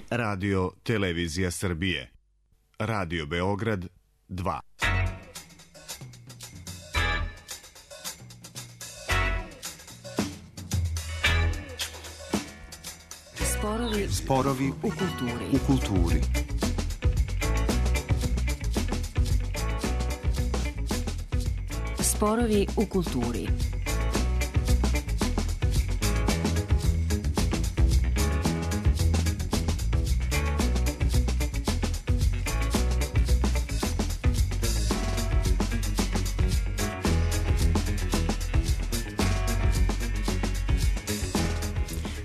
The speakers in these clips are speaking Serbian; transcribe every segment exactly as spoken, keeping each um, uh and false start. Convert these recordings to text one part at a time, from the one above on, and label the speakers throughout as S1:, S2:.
S1: Radio Televizija Srbije. Radio Beograd dva.
S2: Sporovi,
S3: Sporovi
S2: u kulturi.
S3: U kulturi.
S2: Sporovi u kulturi.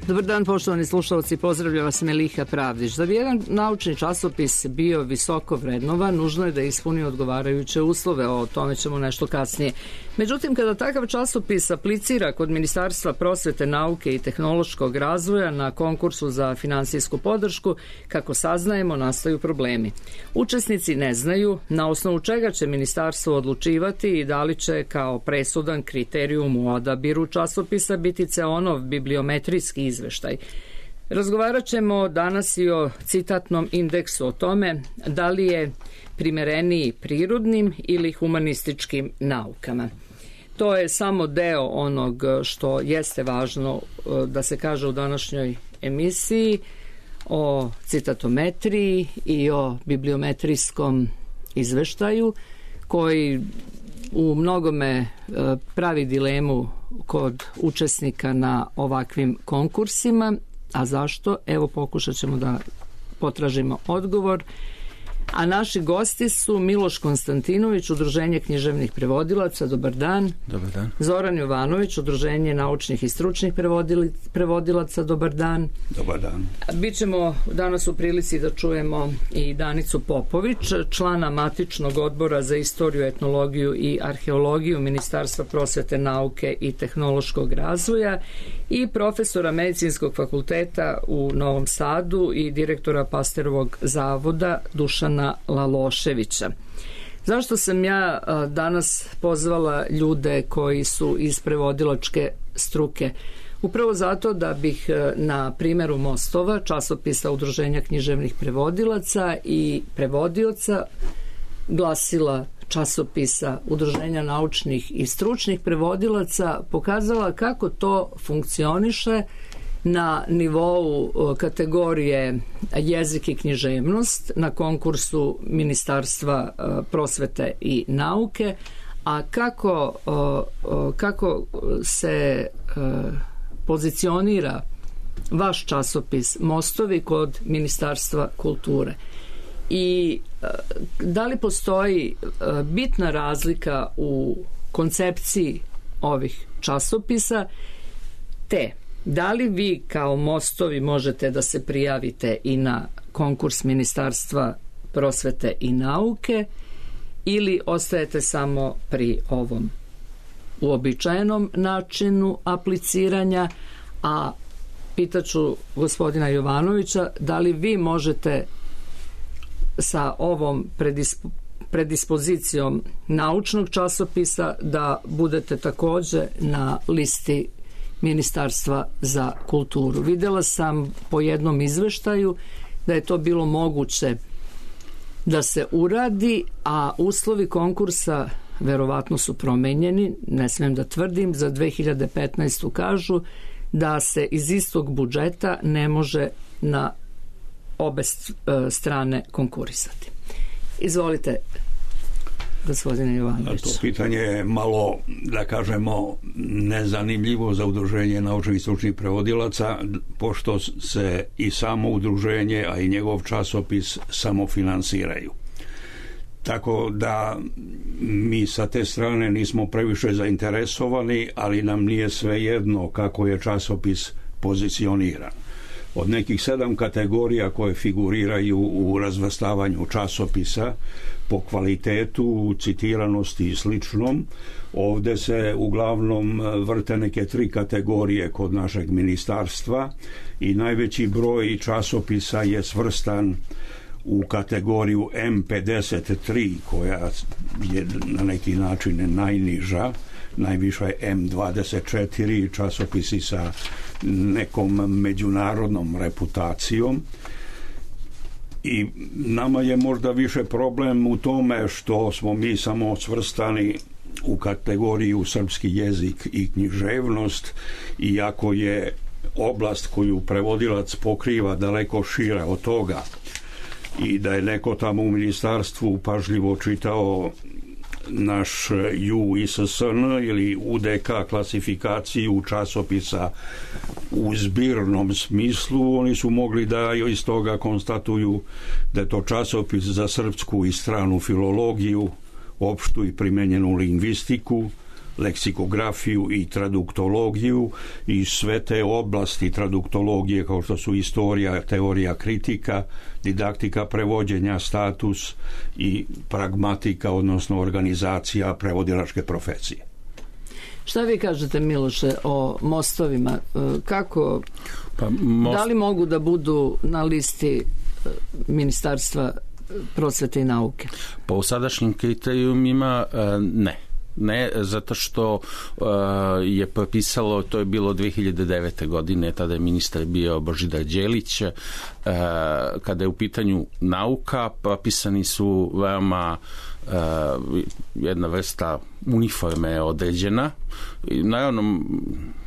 S4: Dobar dan, poštovani slušalci, pozdravlja vas Meliha Pravdić. Da bi jedan naučni časopis bio visoko vrednovan, nužno je da ispuni odgovarajuće uslove, o tome ćemo nešto kasnije. Međutim, kada takav časopis aplicira kod Ministarstva prosvete, nauke i tehnološkog razvoja na konkursu za finansijsku podršku, kako saznajemo, nastaju problemi. Učesnici ne znaju na osnovu čega će ministarstvo odlučivati i da li će kao presudan kriterijum u odabiru časopisa biti ceonov bibliometrijski izveštaj. Razgovarat ćemo danas i o citatnom indeksu, o tome da li je primereniji prirodnim ili humanističkim naukama. To je samo deo onog što jeste važno da se kaže u današnjoj emisiji o citatometriji i o bibliometrijskom izveštaju koji u mnogome pravi dilemu kod učesnika na ovakvim konkursima. A zašto? Evo, pokušat ćemo da potražimo odgovor. A naši gosti su Miloš Konstantinović, Udruženje književnih prevodilaca, dobar dan.
S3: Dobar dan.
S4: Zoran Jovanović, Udruženje naučnih i stručnih prevodilaca, dobar dan.
S3: Dobar dan.
S4: Bićemo danas u prilici da čujemo i Danicu Popović, člana matičnog odbora za istoriju, etnologiju i arheologiju Ministarstva prosvete, nauke i tehnološkog razvoja i profesora Medicinskog fakulteta u Novom Sadu i direktora Pasterovog zavoda Dušana Laloševića. Zašto sam ja danas pozvala ljude koji su iz prevodilačke struke? Upravo zato da bih na primjeru Mostova, časopisa Udruženja književnih prevodilaca i prevodioca, glasila časopisa Udruženja naučnih i stručnih prevodilaca, pokazala kako to funkcioniše na nivou kategorije jezik i književnost na konkursu Ministarstva prosvete i nauke, a kako, kako se pozicionira vaš časopis Mostovi kod Ministarstva kulture. I da li postoji bitna razlika u koncepciji ovih časopisa, te da li vi kao Mostovi možete da se prijavite i na konkurs Ministarstva prosvete i nauke ili ostajete samo pri ovom uobičajenom načinu apliciranja, a pitaću gospodina Jovanovića da li vi možete sa ovom predispo, predispozicijom naučnog časopisa da budete takođe na listi Ministarstva za kulturu. Videla sam po jednom izveštaju da je to bilo moguće da se uradi, a uslovi konkursa verovatno su promenjeni, ne smem da tvrdim, za dve hiljade petnaestu kažu da se iz istog budžeta ne može na obe strane konkurisati. Izvolite, gospodine Jovanović.
S5: To pitanje je malo, da kažemo, nezanimljivo za Udruženje naučnih i stručnih prevodilaca, pošto se i samo udruženje, a i njegov časopis samofinansiraju. Tako da mi sa te strane nismo previše zainteresovani, ali nam nije svejedno kako je časopis pozicioniran. Od nekih sedam kategorija koje figuriraju u razvrstavanju časopisa po kvalitetu, citiranosti i sličnom, ovde se uglavnom vrte neke tri kategorije kod našeg ministarstva i najveći broj časopisa je svrstan u kategoriju M pedeset tri, koja je na neki način najniža, najviša je M dvadeset četiri, časopisi sa nekom međunarodnom reputacijom, I nama je možda više problem u tome što smo mi samo svrstani u kategoriju srpski jezik i književnost, iako je oblast koju prevodilac pokriva daleko šira od toga i da je neko tamo u ministarstvu pažljivo čitao naš U I S S N ili U D K klasifikaciju časopisa u zbirnom smislu, oni su mogli da iz toga konstatuju da je to časopis za srpsku i stranu filologiju, opštu i primenjenu lingvistiku, leksikografiju i traduktologiju i sve te oblasti traduktologije kao što su istorija, teorija kritika, didaktika prevođenja, status i pragmatika, odnosno organizacija prevodilačke profesije.
S4: Šta vi kažete, Miloše, o mostovima? Kako,
S3: pa, most...
S4: da li mogu da budu na listi Ministarstva prosvete i nauke?
S3: Po sadašnjim kriterijumima ne. Ne, zato što uh, je propisalo, to je bilo dve hiljade devete. godine, tada je ministar bio Božidar Đelić, uh, kada je u pitanju nauka, propisani su veoma uh, jedna vrsta uniforme određena. I naravno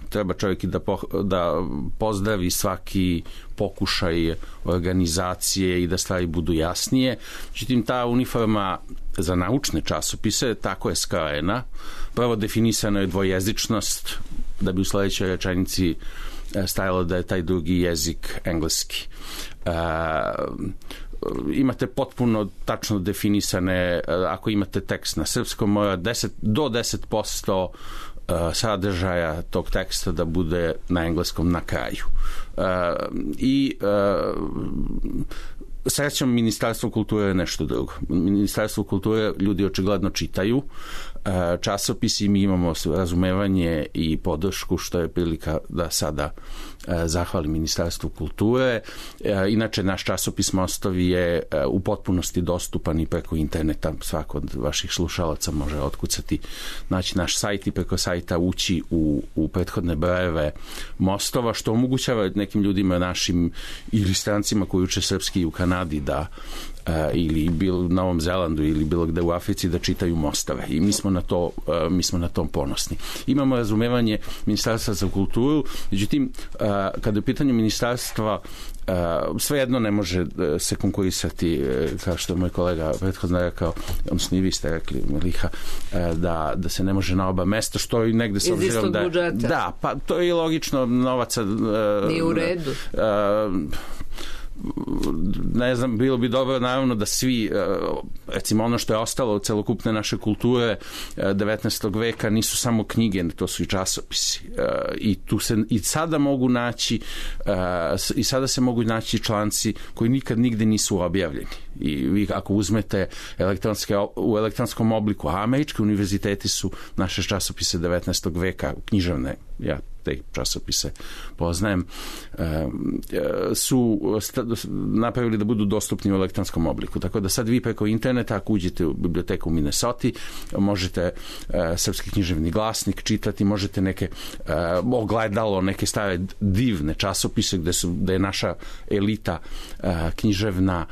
S3: treba čovjek i da, po, da pozdravi svaki pokušaj organizacije i da stvari budu jasnije. Međutim, ta uniforma za naučne časopise tako je skrojena. Prvo definisana je dvojezičnost, da bi u sledećoj rečenici stajalo da je taj drugi jezik engleski. Uh, imate potpuno tačno definisane, ako imate tekst na srpskom, mora deset, do deset posto sadržaja tog teksta da bude na engleskom na kraju. Uh, I uh, srećom, Ministarstvo kulture je nešto drugo. Ministarstvo kulture ljudi očigledno čitaju časopisi, mi imamo razumevanje i podršku, što je prilika da sada zahvalim Ministarstvu kulture. Inače, naš časopis Mostovi je u potpunosti dostupan i preko interneta. Svako od vaših slušalaca može otkucati, naći naš sajt i preko sajta ući u, u prethodne brojeve Mostova, što omogućava nekim ljudima našim ili strancima koji uče srpski u Kanadi da Uh, ili bilo u Novom Zelandu ili bilo gde u Africi da čitaju Mostove i mi smo na to, uh, mi smo na tom ponosni. Imamo razumevanje Ministarstva za kulturu, međutim uh, kada je u pitanju ministarstva uh, svejedno ne može uh, se konkurisati, uh, kao što je moj kolega prethodno rekao, odnosno i vi ste rekli, Miliha, uh, da, da se ne može na oba mesta, što i negde s obzirom da...
S4: budžeta.
S3: Da, pa to je logično, novaca... Uh,
S4: Nije u redu.
S3: Uh, ne znam, bilo bi dobro naravno da svi, recimo ono što je ostalo od celokupne naše kulture devetnaestog veka nisu samo knjige, to su i časopisi i tu se i sada mogu naći i sada se mogu naći članci koji nikad nigde nisu objavljeni i vi ako uzmete elektronske, u elektronskom obliku, a američki univerziteti su naše časopise devetnaestog veka književne, ja te časopise poznajem, su napravili da budu dostupni u elektronskom obliku. Tako da sad vi preko interneta, ako uđete u biblioteku u Minnesota, možete srpski književni glasnik čitati, možete neke ogledalo, neke stare divne časopise gde, su, gde je naša elita književna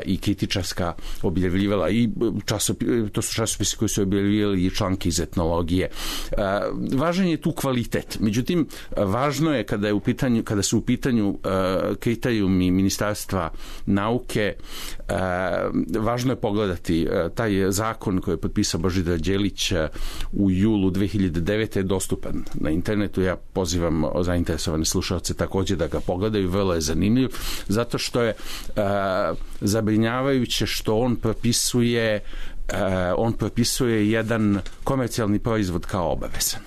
S3: i kritičarska objavljivala i časopis, to su časopisi koji su objavljivali i članke iz etnologije. Važan je tu kvalitet. Međutim, važno je kada je u pitanju, kada su u pitanju uh, kriterijumi Ministarstva nauke, uh, važno je pogledati uh, taj zakon koji je potpisao Božidar Đelić uh, u julu dve hiljade devete. je dostupan na internetu. Ja pozivam zainteresovane slušalce takođe da ga pogledaju, vrlo je zanimljiv, zato što je uh, zabrinjavajuće što on propisuje uh, on propisuje jedan komercijalni proizvod kao obavezan.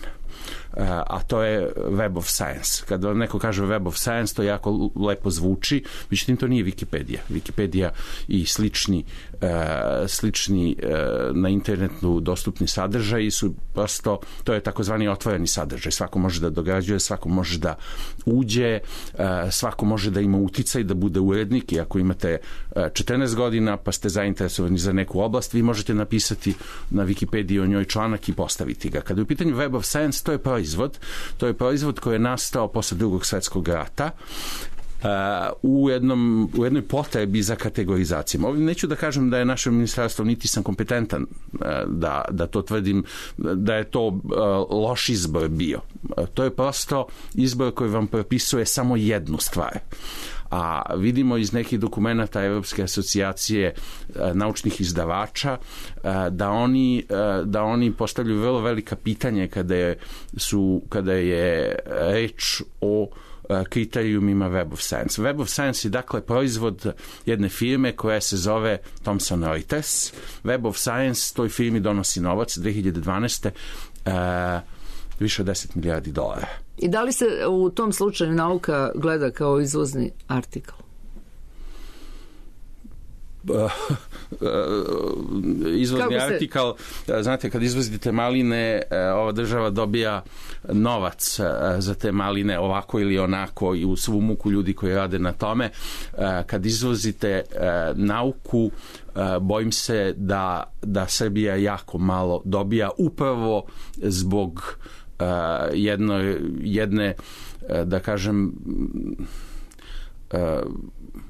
S3: A to je Web of Science. Kada vam neko kaže Web of Science, to jako lepo zvuči, međutim to nije Wikipedia. Wikipedia i slični, uh, slični uh, na internetu dostupni sadržaji su prosto, to je takozvani otvoreni sadržaj. Svako može da dograđuje, svako može da uđe, uh, svako može da ima uticaj, da bude urednik i ako imate uh, četrnaest godina pa ste zainteresovani za neku oblast, vi možete napisati na Wikipediji o njoj članak i postaviti ga. Kada je u pitanju Web of Science, to je proizvod. To je proizvod koji je nastao posle drugog svetskog rata u, jednom, u jednoj potrebi za kategorizacijom. Ovdje neću da kažem da je naše ministarstvo, niti sam kompetentan da, da to tvrdim, da je to loš izbor bio. To je prosto izbor koji vam propisuje samo jednu stvar. A vidimo iz nekih dokumenta Evropske asocijacije naučnih izdavača da oni, da oni postavljaju vrlo velika pitanje kada je, su, kada je reč o kriterijumima Web of Science. Web of Science je dakle proizvod jedne firme koja se zove Thomson Reuters. Web of Science toj firmi donosi novac dve hiljade dvanaeste. više od deset milijardi dolara.
S4: I da li se u tom slučaju nauka gleda kao izvozni artikl?
S3: Izvozni artikl, znate, kad izvozite maline, ova država dobija novac za te maline ovako ili onako i u svu muku ljudi koji rade na tome. Kad izvozite nauku, bojim se da, da Srbija jako malo dobija upravo zbog jedno, jedne, da kažem,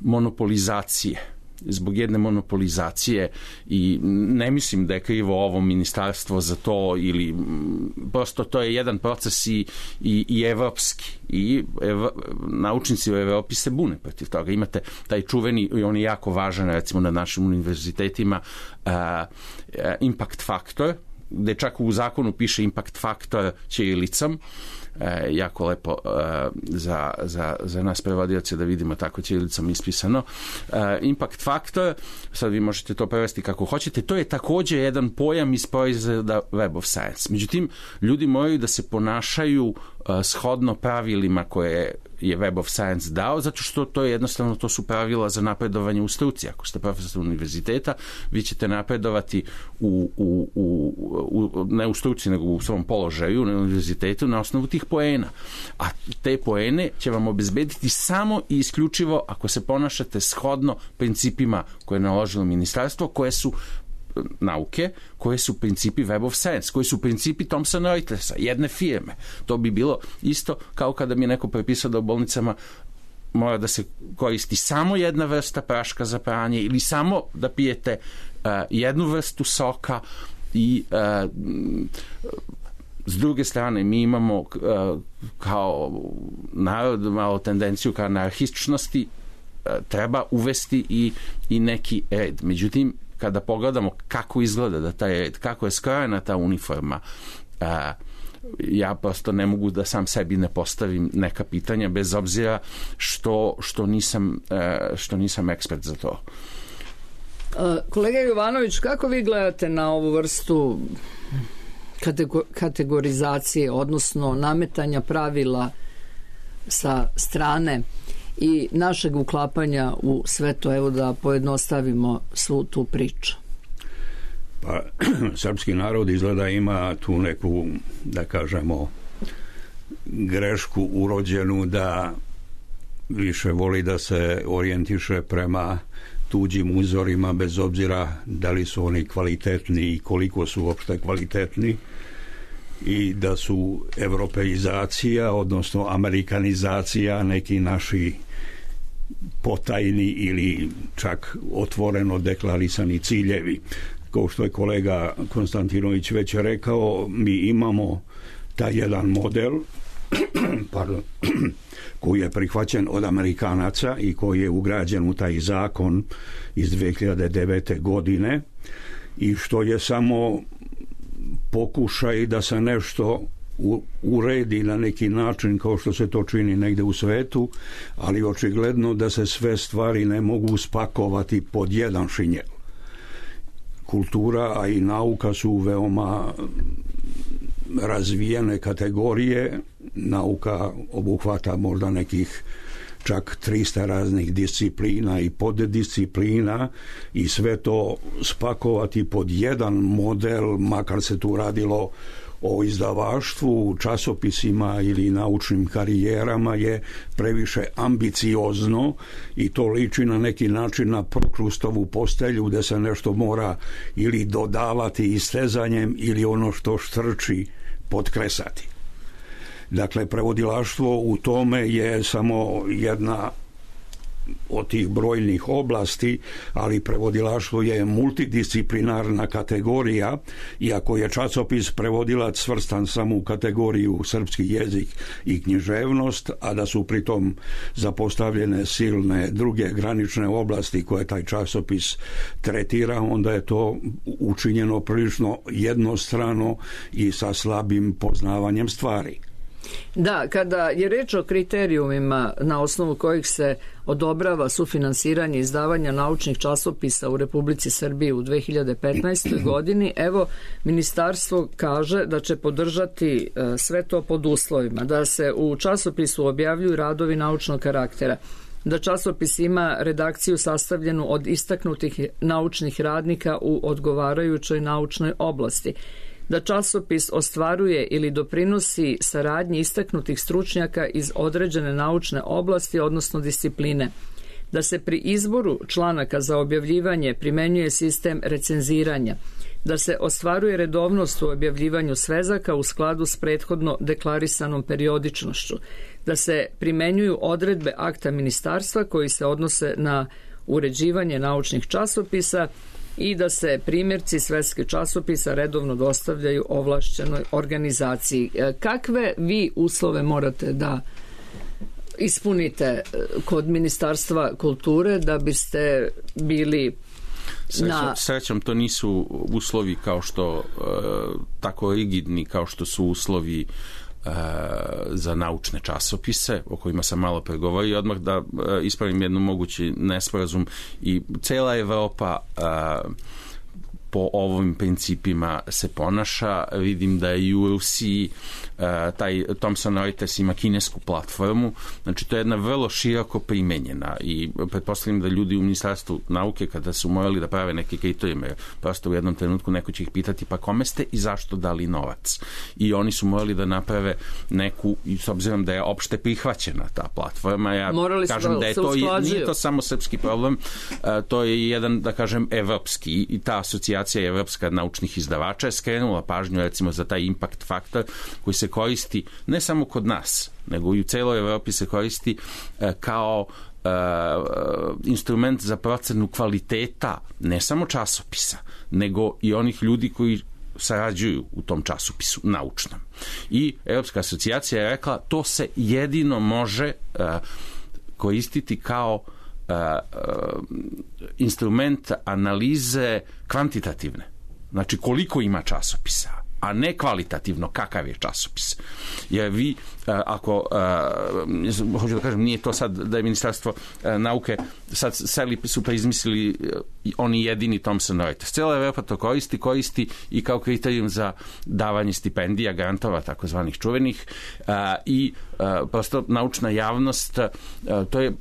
S3: monopolizacije zbog jedne monopolizacije i ne mislim da je krivo ovo ministarstvo za to ili prosto to je jedan proces i, i, i evropski i ev, naučnici u Evropi se bune protiv toga. Imate taj čuveni i on je jako važan recimo na našim univerzitetima uh, impact faktor, gde čak u zakonu piše impact faktor ćirilicom. E, jako lepo e, za, za, za nas prevodioce da vidimo tako ćirilicom ispisano. E, impact faktor, sad vi možete to prevesti kako hoćete, to je također jedan pojam iz proizvoda Web of Science. Međutim, ljudi moraju da se ponašaju e, shodno pravilima koje je Web of Science dao, zato što to je jednostavno, to su pravila za napredovanje u struci. Ako ste profesor univerziteta, vi ćete napredovati u, u, u, u, ne u struci, nego u svom položaju na univerzitetu na osnovu tih poena. A te poene će vam obezbediti samo i isključivo ako se ponašate shodno principima koje je naložilo ministarstvo, koje su nauke, koje su principi Web of Science, koji su principi Thomson Reutersa, jedne firme. To bi bilo isto kao kada mi neko prepisao da u bolnicama mora da se koristi samo jedna vrsta praška za pranje ili samo da pijete uh, jednu vrstu soka i uh, s druge strane mi imamo uh, kao narod malo tendenciju ka anarhističnosti, uh, treba uvesti i, i neki red. Međutim, kada pogledamo kako izgleda da taj red, kako je skrojena ta uniforma, uh, ja prosto ne mogu da sam sebi ne postavim neka pitanja bez obzira što, što, nisam, uh, što nisam ekspert za to.
S4: Kolega Jovanović, kako vi gledate na ovu vrstu kategorizacije, odnosno nametanja pravila sa strane i našeg uklapanja u sve to, evo da pojednostavimo svu tu priču?
S5: Pa, srpski narod izgleda ima tu neku, da kažemo, grešku urođenu da više voli da se orijentiše prema tuđim uzorima, bez obzira da li su oni kvalitetni i koliko su uopšte kvalitetni, i da su evropeizacija, odnosno amerikanizacija, neki naši potajni ili čak otvoreno deklarisani ciljevi. Kao što je kolega Konstantinović već rekao, mi imamo taj jedan model pardon, koji je prihvaćen od Amerikanaca i koji je ugrađen u taj zakon iz dve hiljade devete. godine i što je samo pokušaj da se nešto uredi na neki način kao što se to čini negde u svetu, ali očigledno da se sve stvari ne mogu spakovati pod jedan šinjel. Kultura, a i nauka su veoma razvijene kategorije. Nauka obuhvata možda nekih čak trista raznih disciplina i poddisciplina i sve to spakovati pod jedan model, makar se tu radilo o izdavaštvu, časopisima ili naučnim karijerama, je previše ambiciozno i to liči na neki način na Prokrustovu postelju gde se nešto mora ili dodavati istezanjem ili ono što štrči potkresati. Dakle, prevodilaštvo u tome je samo jedna od tih brojnih oblasti, ali prevodilaštvo je multidisciplinarna kategorija, iako je časopis prevodilac svrstan samo u kategoriju srpski jezik i književnost, a da su pritom zapostavljene silne druge granične oblasti koje taj časopis tretira, onda je to učinjeno prilično jednostrano i sa slabim poznavanjem stvari.
S4: Da, kada je reč o kriterijumima na osnovu kojih se odobrava sufinansiranje izdavanja naučnih časopisa u Republici Srbiji u dve hiljade petnaestoj. godini, evo, ministarstvo kaže da će podržati sve to pod uslovima, da se u časopisu objavljuju radovi naučnog karaktera, da časopis ima redakciju sastavljenu od istaknutih naučnih radnika u odgovarajućoj naučnoj oblasti, da časopis ostvaruje ili doprinosi saradnji istaknutih stručnjaka iz određene naučne oblasti, odnosno discipline, da se pri izboru članaka za objavljivanje primenjuje sistem recenziranja, da se ostvaruje redovnost u objavljivanju svezaka u skladu s prethodno deklarisanom periodičnošću, da se primenjuju odredbe akta ministarstva koji se odnose na uređivanje naučnih časopisa i da se primjerci svetskih časopisa redovno dostavljaju ovlašćenoj organizaciji. Kakve vi uslove morate da ispunite kod Ministarstva kulture da biste bili na...
S3: Srećom, to nisu uslovi kao što tako rigidni kao što su uslovi za naučne časopise o kojima sam malo pregovorio. Odmah da ispravim jednu mogući nesporazum, i cela Evropa po ovim principima se ponaša. Vidim da i u Rusiji taj Thomson Reuters ima kinesku platformu, znači to je jedna vrlo široko primenjena i pretpostavljam da ljudi u Ministarstvu nauke kada su morali da prave neke kriterijume, prosto u jednom trenutku neko će ih pitati pa kome ste i zašto dali novac, i oni su morali da naprave neku, i s obzirom da je opšte prihvaćena ta platforma, ja
S4: morali
S3: kažem da, da je to, nije to samo srpski problem, to je jedan, da kažem, evropski, i ta asocijacija Evropska naučnih izdavača je skrenula pažnju recimo za taj impact faktor koji se koristi ne samo kod nas, nego i u celoj Evropi se koristi e, kao e, instrument za procenu kvaliteta ne samo časopisa, nego i onih ljudi koji sarađuju u tom časopisu naučnom. I Evropska asocijacija je rekla to se jedino može e, koristiti kao Uh, uh, instrument analize kvantitativne. Znači koliko ima časopisa, a ne kvalitativno kakav je časopis. Jer vi, uh, ako, uh, hoću da kažem, nije to sad da je Ministarstvo uh, nauke sad seli su pa izmislili uh, oni jedini Thomson Reuters. Cijela Evropa to koristi, koristi i kao kriterijum za davanje stipendija, grantova, takozvanih čuvenih, uh, i uh, prosto naučna javnost, uh, to je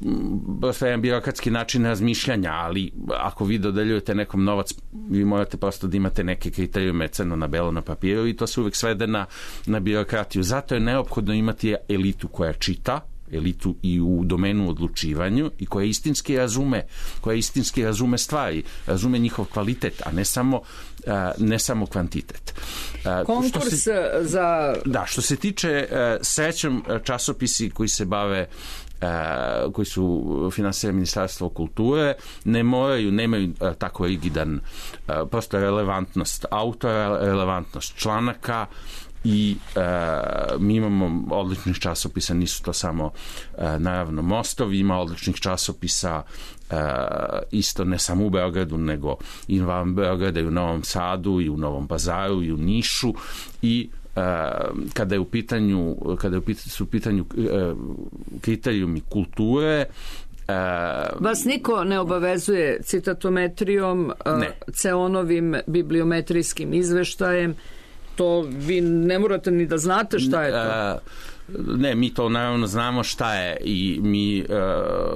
S3: prosto jedan birokratski način razmišljanja, ali ako vi dodeljujete nekom novac, vi morate prosto da imate neke kriterijume crno na belo na papiru i to se uvek svede na, na birokratiju. Zato je neophodno imati elitu koja čita, elitu i u domenu odlučivanju i koja istinski razume, koja istinski razume stvari, razume njihov kvalitet, a ne samo, ne samo kvantitet.
S4: Konkurs
S3: se,
S4: za...
S3: Da, što se tiče srećom časopisi koji se bave Uh, koji su finansirani Ministarstvo kulture, ne moraju, nemaju uh, tako rigidan uh, prosto relevantnost autora, relevantnost članaka i uh, mi imamo odličnih časopisa, nisu to samo uh, naravno Mostovi, ima odličnih časopisa uh, isto ne samo u Beogradu, nego i van Beograda i u Novom Sadu i u Novom Pazaru i u Nišu, i Uh, kada je u pitanju kada je u pitanju, su u pitanju uh, kriterijumi kulture. Uh,
S4: Vas niko ne obavezuje citatometrijom, uh, ceonovim bibliometrijskim izveštajem, to vi ne morate ni da znate šta je to.
S3: Uh, Ne, mi to naravno znamo šta je i mi uh,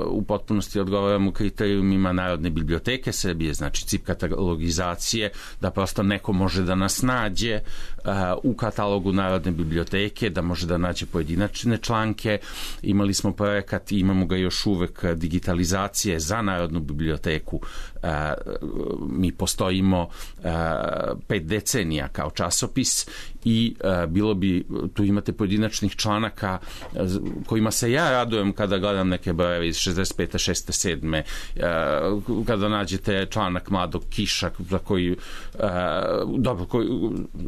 S3: u potpunosti odgovaramo kriterijumima Narodne biblioteke Srbije, znači C I P katalogizacije, da prosto neko može da nas nađe uh, u katalogu Narodne biblioteke, da može da nađe pojedinačne članke. Imali smo projekat i imamo ga još uvek digitalizacije za Narodnu biblioteku. Uh, mi postojimo uh, pet decenija kao časopis i uh, bilo bi, tu imate pojedinačnih članaka članaka kojima se ja radujem kada gledam neke brojeve iz šezdeset pete, šezdeset sedme kada nađete članak Mladog Kiša za koji dobro, koji,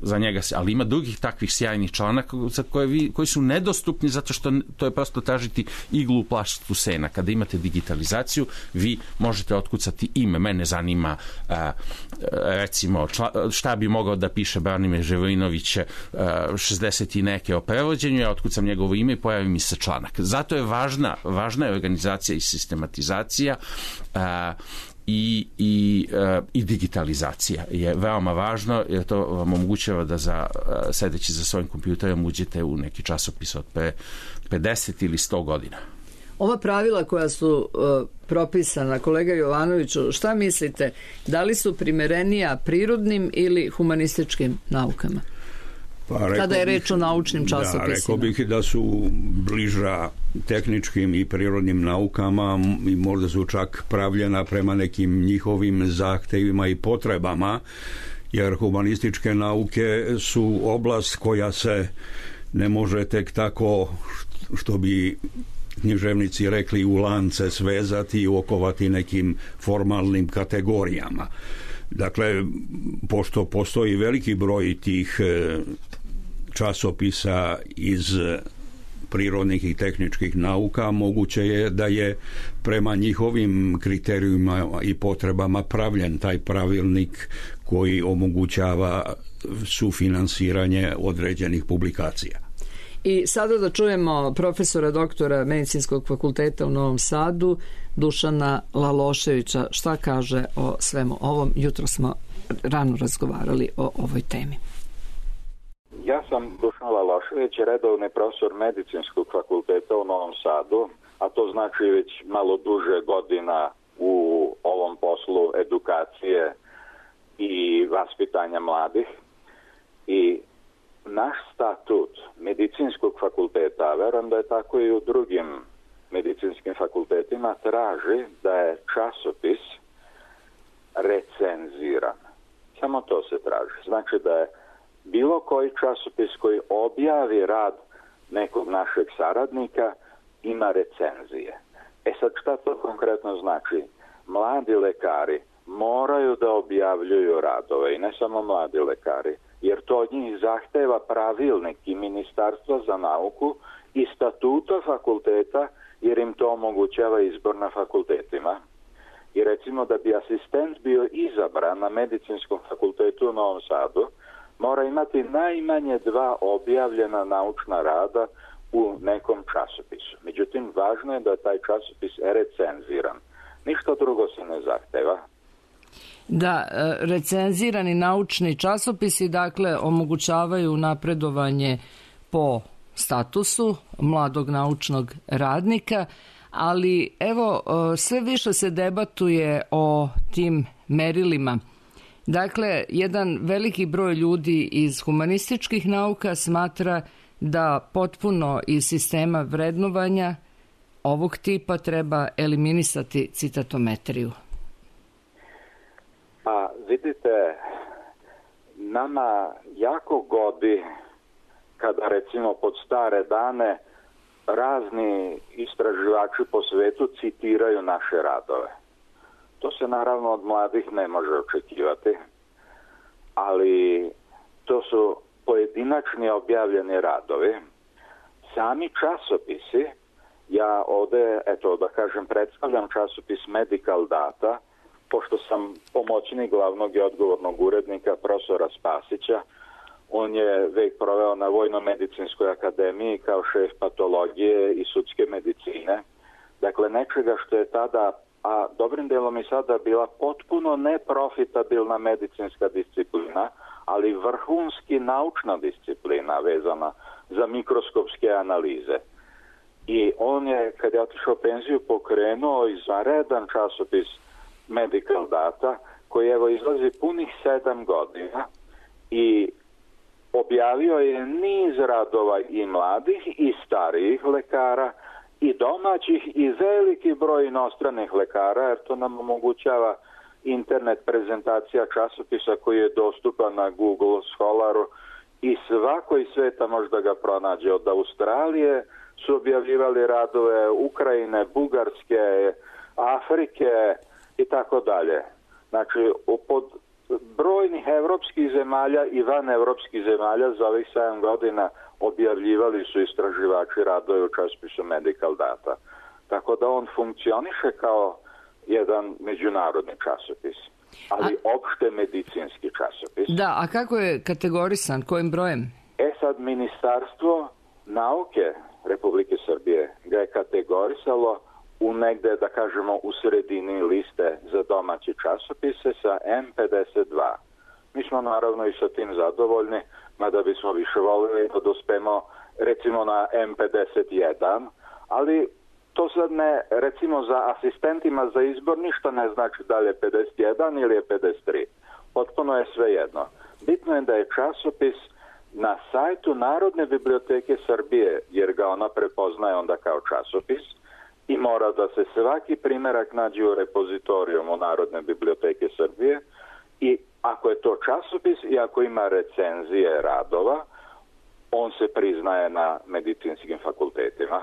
S3: za njega se, ali ima drugih takvih sjajnih članaka za koje vi, koji su nedostupni zato što to je prosto tražiti iglu u plaštu sena. Kada imate digitalizaciju, vi možete otkucati ime. Mene zanima recimo šta bi mogao da piše Branimir Ževrinović šezdeset i neke o prevođenju, ja otkucam njegovo ime i pojavi mi se članak. Zato je važna, važna je organizacija i sistematizacija i, i, i digitalizacija je veoma važno, jer to vam omogućava da za, sedeći za svojim kompjuterom uđete u neki časopis od pre pedeset ili sto godina.
S4: Ova pravila koja su uh, propisana, kolega Jovanoviću, šta mislite, da li su primerenija prirodnim ili humanističkim naukama?
S5: Pa,
S4: kada je reč o naučnim časopisima?
S5: Da, rekao bih da su bliža tehničkim i prirodnim naukama i možda su čak pravljena prema nekim njihovim zahtevima i potrebama, jer humanističke nauke su oblast koja se ne može tek tako, što bi književnici rekli, u lance svezati i okovati nekim formalnim kategorijama. Dakle, pošto postoji veliki broj tih časopisa iz prirodnih i tehničkih nauka, moguće je da je prema njihovim kriterijima i potrebama pravljen taj pravilnik koji omogućava sufinansiranje određenih publikacija.
S4: I sada da čujemo profesora doktora Medicinskog fakulteta u Novom Sadu, Dušana Laloševića, šta kaže o svemu ovom. Jutro smo rano razgovarali o ovoj temi.
S6: Ja sam Dušan Lalošević, redovni profesor Medicinskog fakulteta u Novom Sadu, a to znači već malo duže godina u ovom poslu edukacije i vaspitanja mladih. I naš statut Medicinskog fakulteta, a verujem da je tako i u drugim medicinskim fakultetima, traži da je časopis recenziran. Samo to se traži. Znači da je bilo koji časopis koji objavi rad nekog našeg saradnika ima recenzije. E sad šta to konkretno znači? Mladi lekari moraju da objavljuju radove i ne samo mladi lekari, jer to od njih zahteva pravilnik i Ministarstva za nauku i statuta fakulteta, jer im to omogućava izbor na fakultetima. I recimo da bi asistent bio izabran na Medicinskom fakultetu u Novom Sadu, mora imati najmanje dva objavljena naučna rada u nekom časopisu. Međutim, važno je da je taj časopis recenziran. Ništa drugo se ne zahteva.
S4: Da, recenzirani naučni časopisi dakle omogućavaju napredovanje po statusu mladog naučnog radnika, ali evo sve više se debatuje o tim merilima. Dakle, jedan veliki broj ljudi iz humanističkih nauka smatra da potpuno iz sistema vrednovanja ovog tipa treba eliminisati citatometriju.
S6: Pa vidite, nama jako godi kada recimo pod stare dane razni istraživači po svetu citiraju naše radove. To se naravno od mladih ne može očekivati, ali to su pojedinačni objavljeni radovi. Sami časopisi, ja ovde, eto da kažem, predstavljam časopis Medical Data, pošto sam pomoćnik glavnog i odgovornog urednika profesora Spasića. On je vek proveo na Vojno-medicinskoj akademiji kao šef patologije i sudske medicine. Dakle, nečega što je tada, a dobrim delom i sada, bila potpuno neprofitabilna medicinska disciplina, ali vrhunski naučna disciplina vezana za mikroskopske analize. I on je, kad je otišao u penziju, pokrenuo izvanredan časopis Medical Data, koji evo izlazi punih sedam godina i objavio je niz radova i mladih i starijih lekara i domaćih i veliki broj inostranih lekara, jer to nam omogućava internet prezentacija časopisa koji je dostupan na Google Scholaru i svako iz sveta može da ga pronađe. Od Australije su objavljivali radove, Ukrajine, Bugarske, Afrike i tako dalje. Znači, pod brojnih evropskih zemalja i van evropskih zemalja za ovih sedam godina objavljivali su istraživači radove u časopisu Medical Data. Tako da on funkcioniše kao jedan međunarodni časopis, ali a... opšte medicinski časopis.
S4: Da, a kako je kategorisan, kojim brojem?
S6: E sad, Ministarstvo nauke Republike Srbije ga je kategorisalo u negde, da kažemo, u sredini liste za domaći časopise sa M pedeset dva. Mi smo naravno i sa tim zadovoljni, mada bismo više volili da dospemo recimo na M pedeset jedan, ali to sad ne, recimo za asistentima za izbor ništa ne znači da li je pedeset jedan ili je pedeset tri. Potpuno je sve jedno. Bitno je da je časopis na sajtu Narodne biblioteke Srbije, jer ga ona prepoznaje onda kao časopis, i mora da se svaki primerak nađe u repozitorijumu Narodne biblioteke Srbije, i ako je to časopis i ako ima recenzije radova, on se priznaje na medicinskim fakultetima.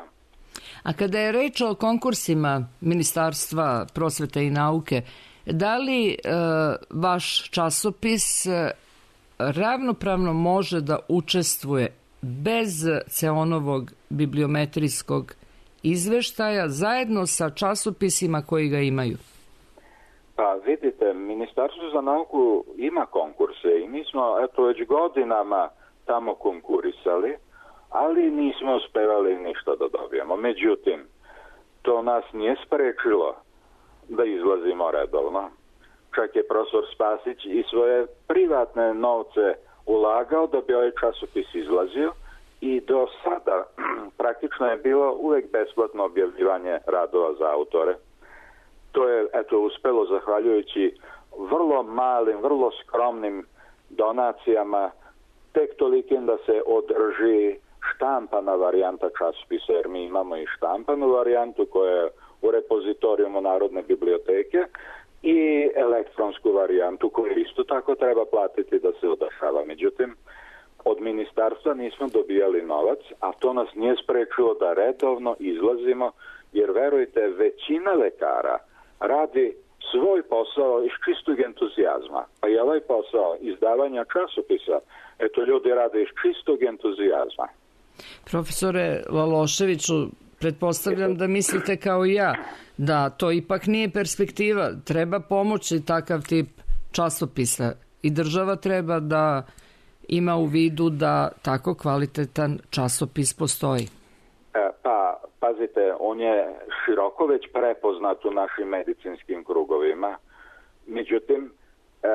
S4: A kada je reč o konkursima Ministarstva prosvete i nauke, da li e, vaš časopis e, ravnopravno može da učestvuje bez Ceonovog bibliometrijskog izveštaja zajedno sa časopisima koji ga imaju?
S6: Pa vidite, Ministarstvo za nauku ima konkurse i mi smo eto već godinama tamo konkurisali, ali nismo uspevali ništa da dobijemo. Međutim, to nas nije sprečilo da izlazimo redovno. Čak je profesor Spasić i svoje privatne novce ulagao da bi ovaj časopis izlazio i do sada praktično je bilo uvek besplatno objavljivanje radova za autore. To je eto uspelo zahvaljujući vrlo malim, vrlo skromnim donacijama, tek tolikim da se održi štampana varijanta časopisa, jer mi imamo i štampanu varijantu koja je u repozitorijumu Narodne biblioteke i elektronsku varijantu koju isto tako treba platiti da se odašava. Međutim, od ministarstva nismo dobijali novac, a to nas nije sprečilo da redovno izlazimo, jer verujte, većina lekara radi svoj posao iz čistog entuzijazma. Pa i ovaj posao izdavanja časopisa, eto ljudi rade iz čistog entuzijazma.
S4: Profesore Laloševiću, pretpostavljam da mislite kao i ja da to ipak nije perspektiva. Treba pomoći takav tip časopisa i država treba da ima u vidu da tako kvalitetan časopis postoji.
S6: E, pa, pazite, on je široko već prepoznat u našim medicinskim krugovima. Međutim, e,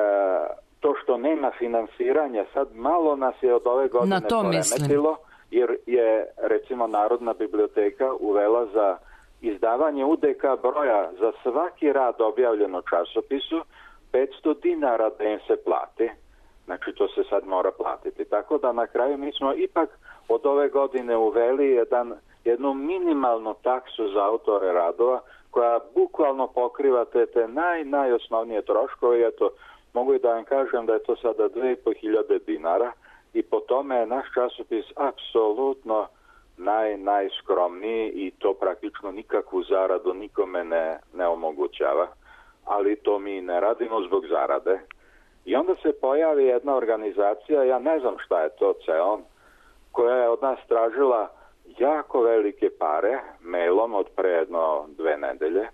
S6: to što nema finansiranja, sad malo nas je od ove godine poremetilo, jer je, recimo, Narodna biblioteka uvela za izdavanje U D K broja za svaki rad objavljen u časopisu petsto dinara da im se plati. Znači, to se sad mora platiti. Tako da na kraju mi smo ipak od ove godine uveli jedan, jednu minimalnu taksu za autore radova koja bukvalno pokriva te, te naj, najosnovnije troškove. Eto, mogu i da vam kažem da je to sada dve i po hiljade dinara i po tome je naš časopis apsolutno naj, najskromniji i to praktično nikakvu zaradu nikome ne, ne omogućava. Ali to mi ne radimo zbog zarade. I onda se pojavi jedna organizacija, ja ne znam šta je to Ceon, koja je od nas tražila jako velike pare, mailom od pre jedno dve nedelje.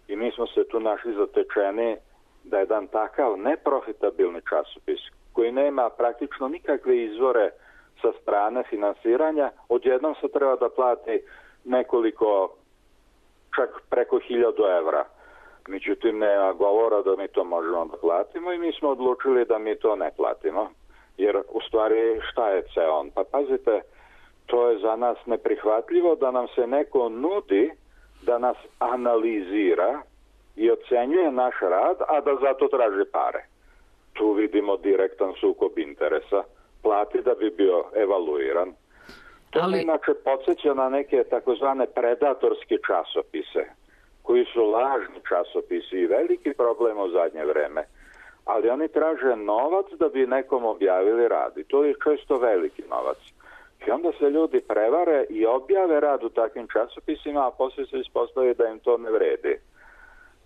S6: I mi smo se tu našli zatečeni da jedan takav neprofitabilni časopis, koji nema praktično nikakve izvore sa strane finansiranja, odjednom se treba da plati nekoliko, čak preko hiljadu evra. Međutim, nema govora da mi to možemo da platimo i mi smo odlučili da mi to ne platimo. Jer, u stvari, šta je Ceon? Pa pazite, to je za nas neprihvatljivo da nam se neko nudi da nas analizira i ocenjuje naš rad, a da zato traži pare. Tu vidimo direktan sukob interesa. Plati da bi bio evaluiran. To Ali... inače podsjeća na neke takozvane predatorske časopise, koji su lažni časopisi i veliki problem u zadnje vreme. ali oni traže novac da bi nekom objavili rad i to je često veliki novac. I onda se ljudi prevare i objave rad u takvim časopisima, a poslije se ispostavi da im to ne vredi.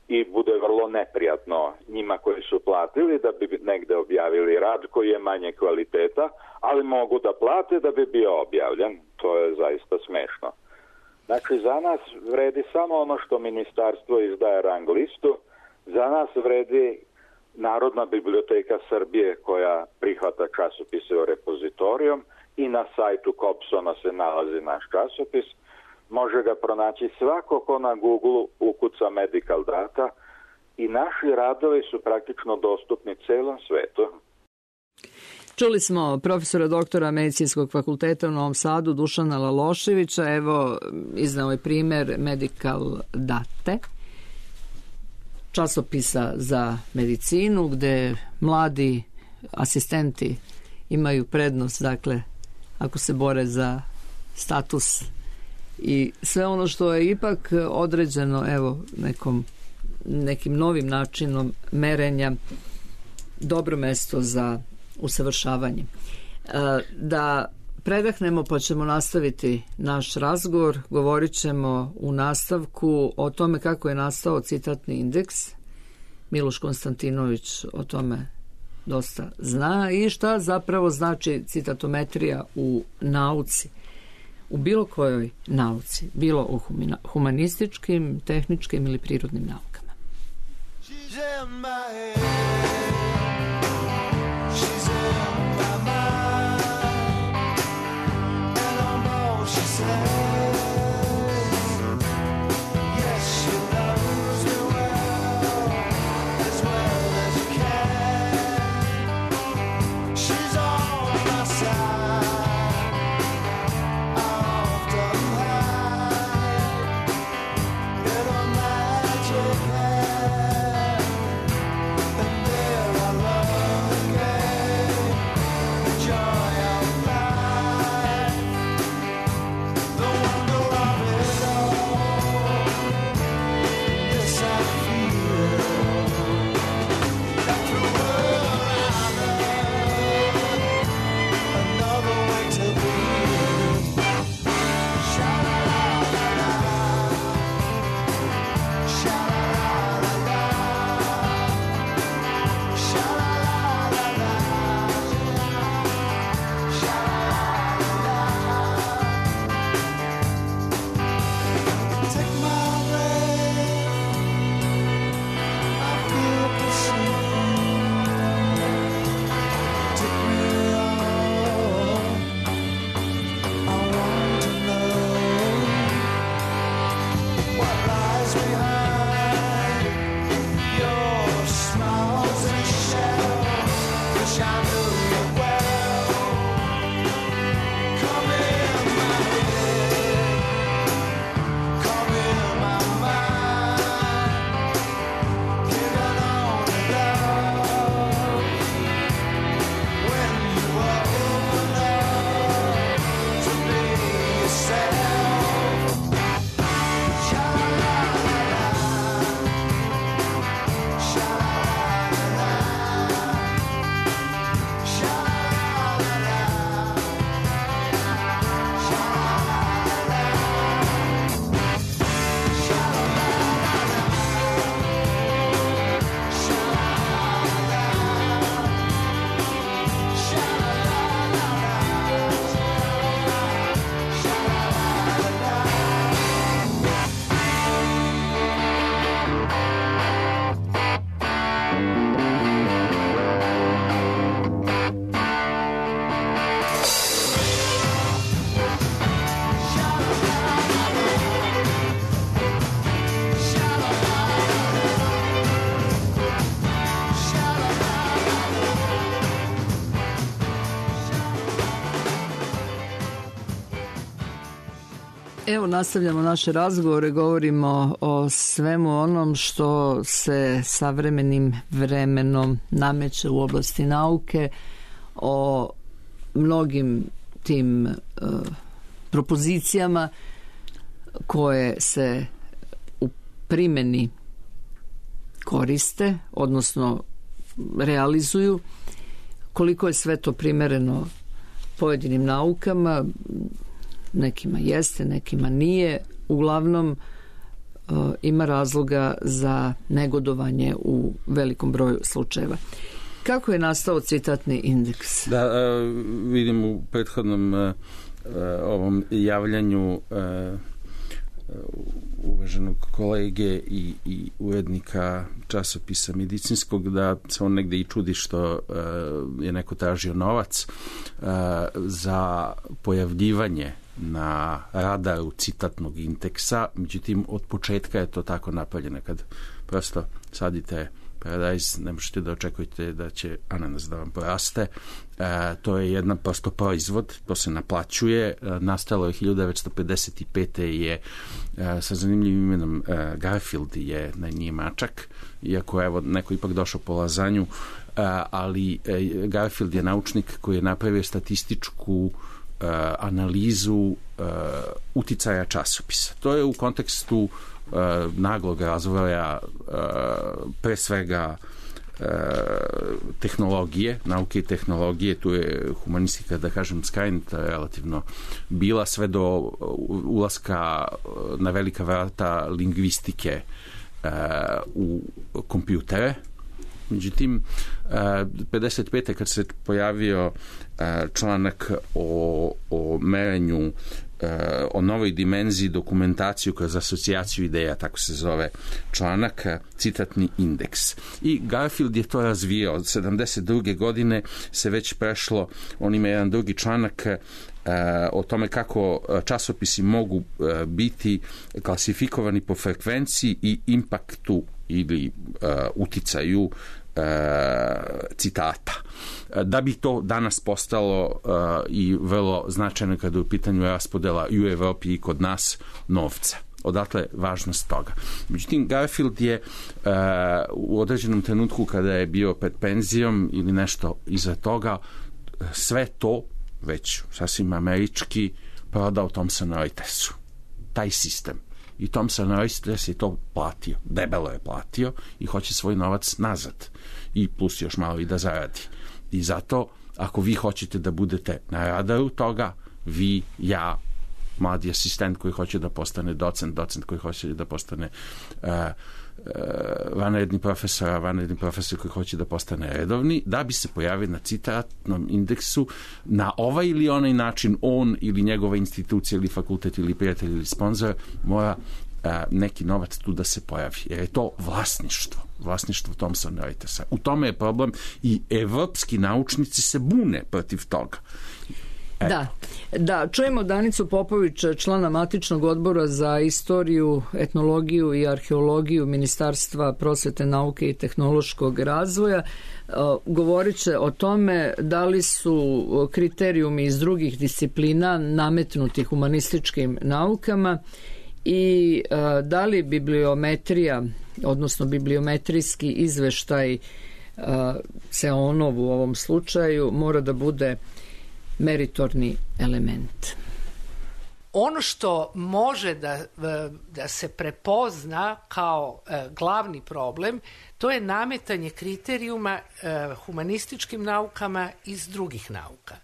S6: I bude vrlo neprijatno njima koji su platili da bi negde objavili rad koji je manje kvaliteta, ali mogu da plate da bi bio objavljen. To je zaista smešno. Znači, za nas vredi samo ono što ministarstvo izdaje rang listu, za nas vredi Narodna biblioteka Srbije koja prihvata časopise u repozitorijom i na sajtu Kobsona se nalazi naš časopis. Može ga pronaći svako ko na Google ukuca medical data i naši radovi su praktično dostupni celom svetu.
S4: Čuli smo profesora doktora Medicinskog fakulteta u Novom Sadu Dušana Laloševića. Evo, iznao je primer Medical Date, časopisa za medicinu gde mladi asistenti imaju prednost, dakle, ako se bore za status i sve ono što je ipak određeno, evo, nekom, nekim novim načinom merenja, dobro mesto za usavršavanje. Da predahnemo pa ćemo nastaviti naš razgovor. Govorit ćemo u nastavku o tome kako je nastao citatni indeks. Miloš Konstantinović o tome dosta zna i šta zapravo znači citatometrija u nauci. U bilo kojoj nauci, bilo u humanističkim, tehničkim ili prirodnim naukama. Evo, nastavljamo naše razgovore, govorimo o svemu onom što se savremenim vremenom nameće u oblasti nauke, o mnogim tim uh, propozicijama koje se u primjeni koriste, odnosno realizuju, koliko je sve to primereno pojedinim naukama, nekima jeste, nekima nije, uglavnom ima razloga za negodovanje u velikom broju slučajeva. Kako je nastao citatni indeks?
S3: Da, vidim u prethodnom ovom javljanju uvaženog kolege i, i urednika časopisa medicinskog da se on negde i čudi što je neko tražio novac za pojavljivanje na radaru citatnog indeksa, međutim od početka je to tako napravljeno. Kad prosto sadite paradajz, ne možete da očekujete da će ananas da vam poraste. E, to je jedan prosto proizvod, to se naplaćuje. E, nastalo je hiljadu devetsto pedeset pete je e, sa zanimljivim imenom e, Garfield je na nije mačak, iako evo neko ipak došao po lazanju, e, ali e, Garfield je naučnik koji je napravio statističku e, analizu e, uticaja časopisa. To je u kontekstu naglog razvoja pre svega tehnologije, nauke i tehnologije, tu je humanistika, da kažem, skrajnuta relativno bila sve do ulaska na velika vrata lingvistike u kompjutere. Međutim, pedeset pete kad se pojavio članak o, o merenju, o novoj dimenziji dokumentaciju kroz asocijaciju ideja, tako se zove članak, citatni indeks. I Garfield je to razvijao. Od sedamdeset druge godine se već prešlo, on ima jedan drugi članak o tome kako časopisi mogu biti klasifikovani po frekvenciji i impaktu ili uh, uticaju uh, citata. Da bi to danas postalo uh, i vrlo značajno kada je u pitanju raspodela i u Evropi i kod nas novca. Odatle važnost toga. Međutim, Garfield je uh, u određenom trenutku kada je bio pred penzijom ili nešto iza toga, sve to već sasvim američki prodao Thomson Reutersu. Taj sistem. I Thomson Reuters je to platio, debelo je platio i hoće svoj novac nazad. I plus još malo i da zaradi. I zato, ako vi hoćete da budete na radaru toga, vi, ja, mladi asistent koji hoće da postane docent, docent koji hoće da postane uh, uh, vanredni profesor, a vanredni profesor koji hoće da postane redovni, da bi se pojavio na citatnom indeksu na ovaj ili onaj način, on ili njegova institucija ili fakultet ili prijatelj ili sponzor mora uh, neki novac tu da se pojavi. Jer je to vlasništvo. Vlasništvo Thomson Reutersa. U tome je problem i evropski naučnici se bune protiv toga.
S4: Da, da, čujemo Danicu Popović, člana matičnog odbora za istoriju, etnologiju i arheologiju Ministarstva prosvete, nauke i tehnološkog razvoja. Govorit će o tome da li su kriterijumi iz drugih disciplina nametnuti humanističkim naukama i da li bibliometrija, odnosno bibliometrijski izveštaj CEONov u ovom slučaju mora da bude meritorni element.
S7: Ono što može da, da se prepozna kao e, glavni problem, to je nametanje kriterijuma e, humanističkim naukama iz drugih nauka.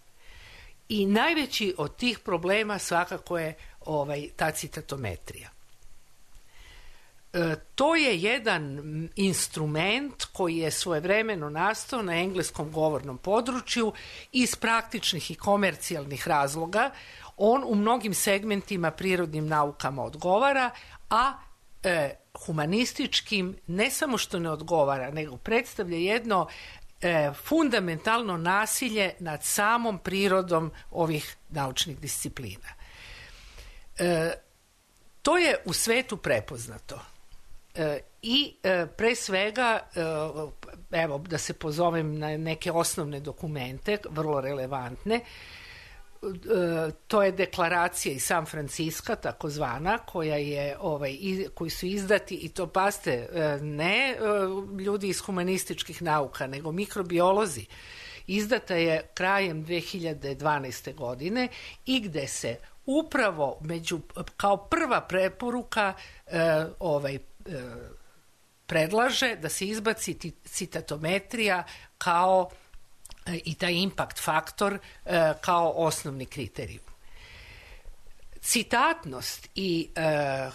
S7: I najveći od tih problema svakako je ovaj, ta citatometrija. E, to je jedan instrument koji je svojevremeno nastao na engleskom govornom području iz praktičnih i komercijalnih razloga. On u mnogim segmentima prirodnim naukama odgovara, a e, humanističkim ne samo što ne odgovara, nego predstavlja jedno e, fundamentalno nasilje nad samom prirodom ovih naučnih disciplina. E, to je u svetu prepoznato. E, I e, pre svega, e, evo da se pozovem na neke osnovne dokumente, vrlo relevantne, e, to je deklaracija iz San Franciska, takozvana, koja je, ovaj, iz, koji su izdati, i to paste, e, ne e, ljudi iz humanističkih nauka, nego mikrobiolozi. Izdata je krajem dve hiljade dvanaeste. godine i gde se upravo među, kao prva preporuka e, ovaj, predlaže da se izbaci citatometrija kao i taj impact faktor kao osnovni kriterijum. Citatnost i e,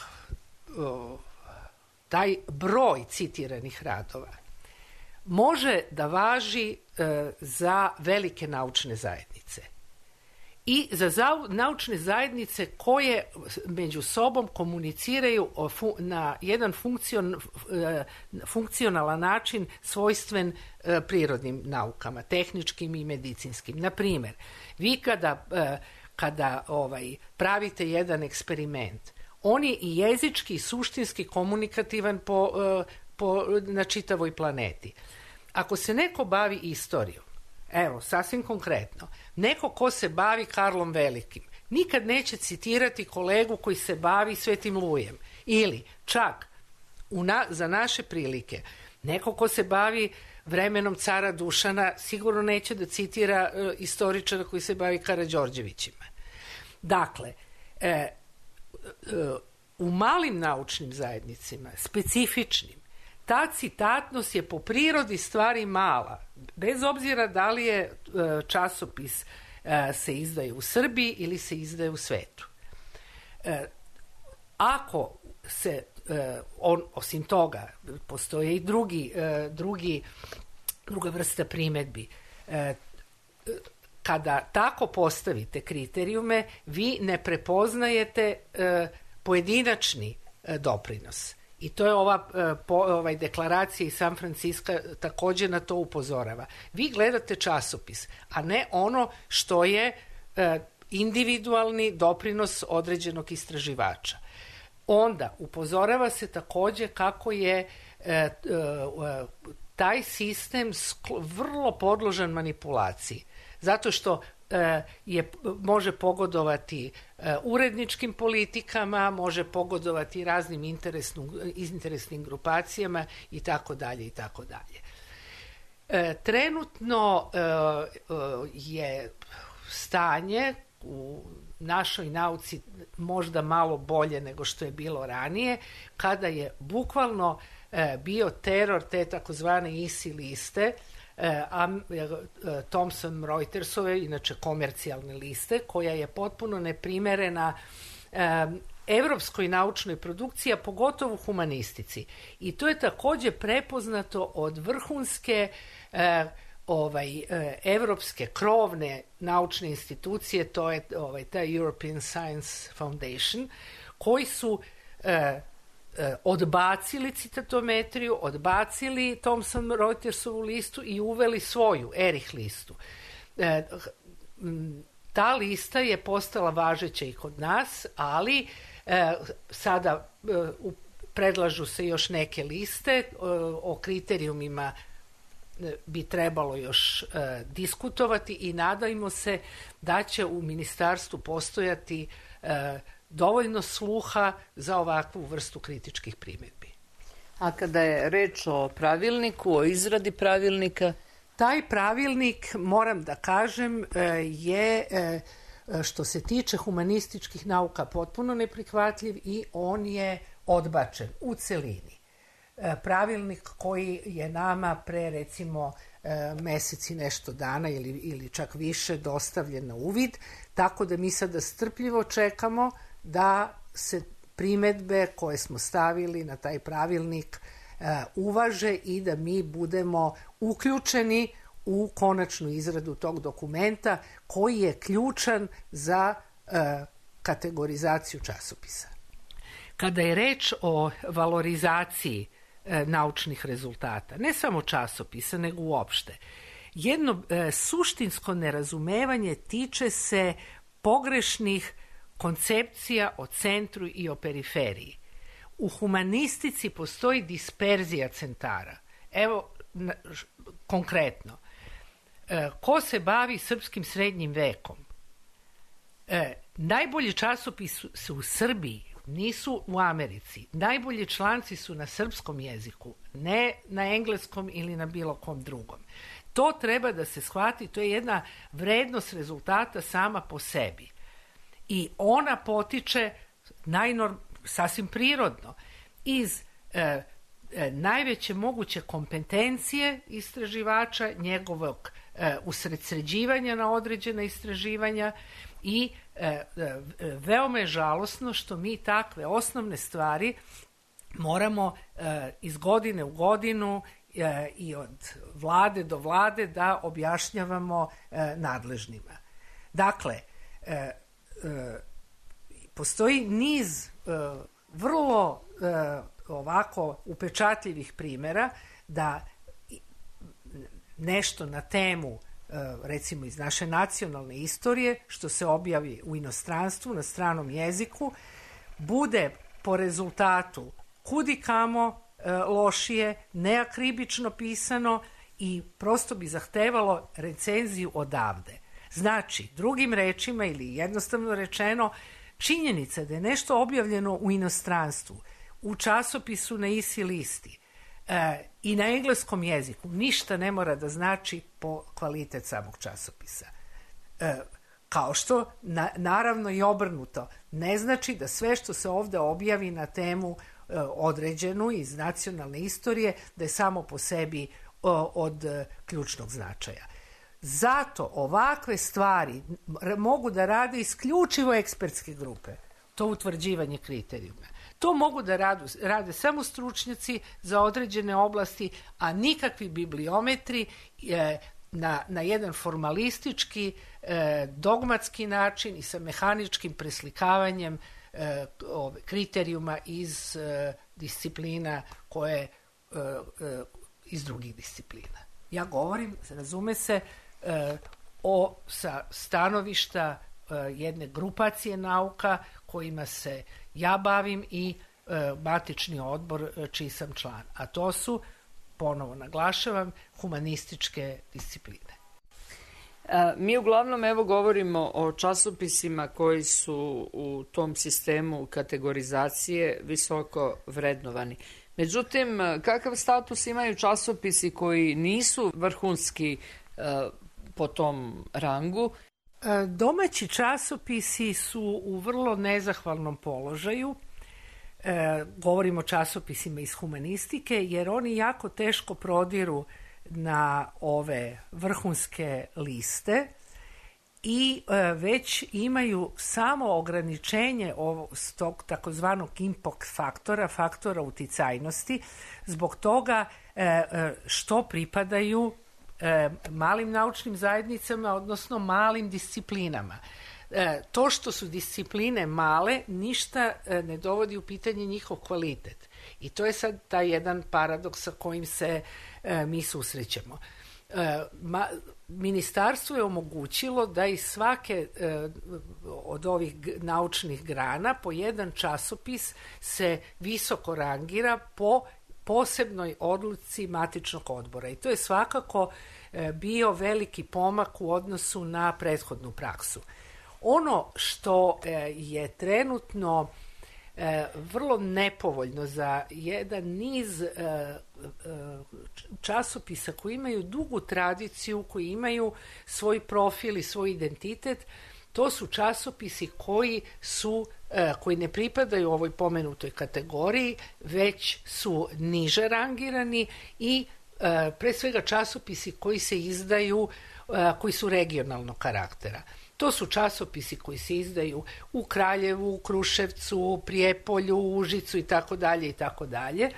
S7: o, taj broj citiranih radova može da važi e, za velike naučne zajednice i za za, naučne zajednice koje među sobom komuniciraju o fu, na jedan funkcion, e, funkcionalan način svojstven e, prirodnim naukama, tehničkim i medicinskim. Na primjer, vi kada, e, kada ovaj, pravite jedan eksperiment, on je i jezički i suštinski komunikativan po, e, po, na čitavoj planeti. Ako se neko bavi istorijom, evo, sasvim konkretno, neko ko se bavi Karlom Velikim, nikad neće citirati kolegu koji se bavi Svetim Lujem. Ili, čak, u na, za naše prilike, neko ko se bavi vremenom cara Dušana, sigurno neće da citira e, istoričara koji se bavi Karađorđevićima. Dakle, e, e, u malim naučnim zajednicima, specifičnim, ta citatnost je po prirodi stvari mala, bez obzira da li je časopis se izdaje u Srbiji ili se izdaje u svetu. Ako se, on, osim toga, postoje i drugi, drugi, druga vrsta primedbi. Kada tako postavite kriterijume, vi ne prepoznajete pojedinačni doprinos. I to je ova po, ovaj, deklaracija iz San Franciska također na to upozorava. Vi gledate časopis, a ne ono što je e, individualni doprinos određenog istraživača. Onda upozorava se također kako je e, e, taj sistem skl, vrlo podložan manipulaciji. Zato što je, može pogodovati uredničkim politikama, može pogodovati raznim interesnim grupacijama i tako dalje i tako dalje. Trenutno je stanje u našoj nauci možda malo bolje nego što je bilo ranije, kada je bukvalno bio teror te takozvane I S I liste, Thomson Reutersove, inače komercijalne liste, koja je potpuno neprimerena evropskoj naučnoj produkciji, a pogotovo humanistici. I to je također prepoznato od vrhunske ovaj, evropske krovne naučne institucije, to je ovaj, ta European Science Foundation, koji su odbacili citatometriju, odbacili Thomson Reutersovu listu i uveli svoju Erich listu. E, ta lista je postala važeća i kod nas, ali e, sada e, predlažu se još neke liste, e, o kriterijumima bi trebalo još e, diskutovati i nadajmo se da će u ministarstvu postojati e, dovoljno sluha za ovakvu vrstu kritičkih primjedbi.
S4: A kada je reč o pravilniku, o izradi pravilnika?
S7: Taj pravilnik, moram da kažem, je što se tiče humanističkih nauka potpuno neprihvatljiv i on je odbačen u celini. Pravilnik koji je nama pre recimo meseci nešto dana ili, ili čak više dostavljen na uvid, tako da mi sada strpljivo čekamo da se primedbe koje smo stavili na taj pravilnik uh, uvaže i da mi budemo uključeni u konačnu izradu tog dokumenta koji je ključan za uh, kategorizaciju časopisa. Kada je reč o valorizaciji uh, naučnih rezultata, ne samo časopisa, nego uopšte, jedno uh, suštinsko nerazumevanje tiče se pogrešnih koncepcija o centru i o periferiji. U humanistici postoji disperzija centara. Evo, na, š, konkretno, e, ko se bavi srpskim srednjim vekom? E, najbolji časopisi su, su u Srbiji, nisu u Americi. Najbolji članci su na srpskom jeziku, ne na engleskom ili na bilo kom drugom. To treba da se shvati, to je jedna vrednost rezultata sama po sebi. I ona potiče najnorm, sasvim prirodno iz e, najveće moguće kompetencije istraživača, njegovog usredsređivanja na određena istraživanja i veoma je žalosno što mi takve osnovne stvari moramo iz godine u godinu i od vlade do vlade da objašnjavamo nadležnima. Dakle, postoji niz vrlo ovako upečatljivih primjera da nešto na temu, recimo iz naše nacionalne istorije, što se objavi u inostranstvu na stranom jeziku, bude po rezultatu kudikamo lošije, neakribično pisano i prosto bi zahtevalo recenziju odavde. Znači, drugim rečima ili jednostavno rečeno, činjenica da je nešto objavljeno u inostranstvu, u časopisu na isi listi e, i na engleskom jeziku, ništa ne mora da znači po kvalitet samog časopisa. E, kao što, na, naravno i obrnuto, ne znači da sve što se ovde objavi na temu e, određenu iz nacionalne istorije, da je samo po sebi o, od e, ključnog značaja. Zato ovakve stvari mogu da rade isključivo ekspertske grupe, to utvrđivanje kriterijuma. To mogu da radu, rade samo stručnjaci za određene oblasti, a nikakvi bibliometri e, na, na jedan formalistički, e, dogmatski način i sa mehaničkim preslikavanjem e, ove, kriterijuma iz e, disciplina koje e, e, iz drugih disciplina. Ja govorim, razume se, e, o sa stanovišta e, jedne grupacije nauka kojima se ja bavim i e, matični odbor e, čiji sam član. A to su, ponovo naglašavam, humanističke discipline.
S4: A, mi uglavnom evo govorimo o časopisima koji su u tom sistemu kategorizacije visoko vrednovani. Međutim, kakav status imaju časopisi koji nisu vrhunski e, po tom rangu?
S7: Domaći časopisi su u vrlo nezahvalnom položaju. E, govorimo o časopisima iz humanistike, jer oni jako teško prodiru na ove vrhunske liste i e, već imaju samo ograničenje ovog, tog takozvanog impact faktora, faktora uticajnosti, zbog toga e, što pripadaju e, malim naučnim zajednicama, odnosno malim disciplinama. E, to što su discipline male, ništa e, ne dovodi u pitanje njihov kvalitet. I to je sad taj jedan paradoks sa kojim se e, mi susrećemo. E, ma, ministarstvo je omogućilo da iz svake e, od ovih naučnih grana po jedan časopis se visoko rangira po posebnoj odluci matičnog odbora. I to je svakako e, bio veliki pomak u odnosu na prethodnu praksu. Ono što e, je trenutno e, vrlo nepovoljno za jedan niz e, e, časopisa koji imaju dugu tradiciju, koji imaju svoj profil i svoj identitet, to su časopisi koji su e, koji ne pripadaju ovoj pomenutoj kategoriji, već su niže rangirani i e, pre svega časopisi koji se izdaju, e, koji su regionalnog karaktera. To su časopisi koji se izdaju u Kraljevu, u Kruševcu, Prijepolju, Užicu i tako dalje i tako dalje.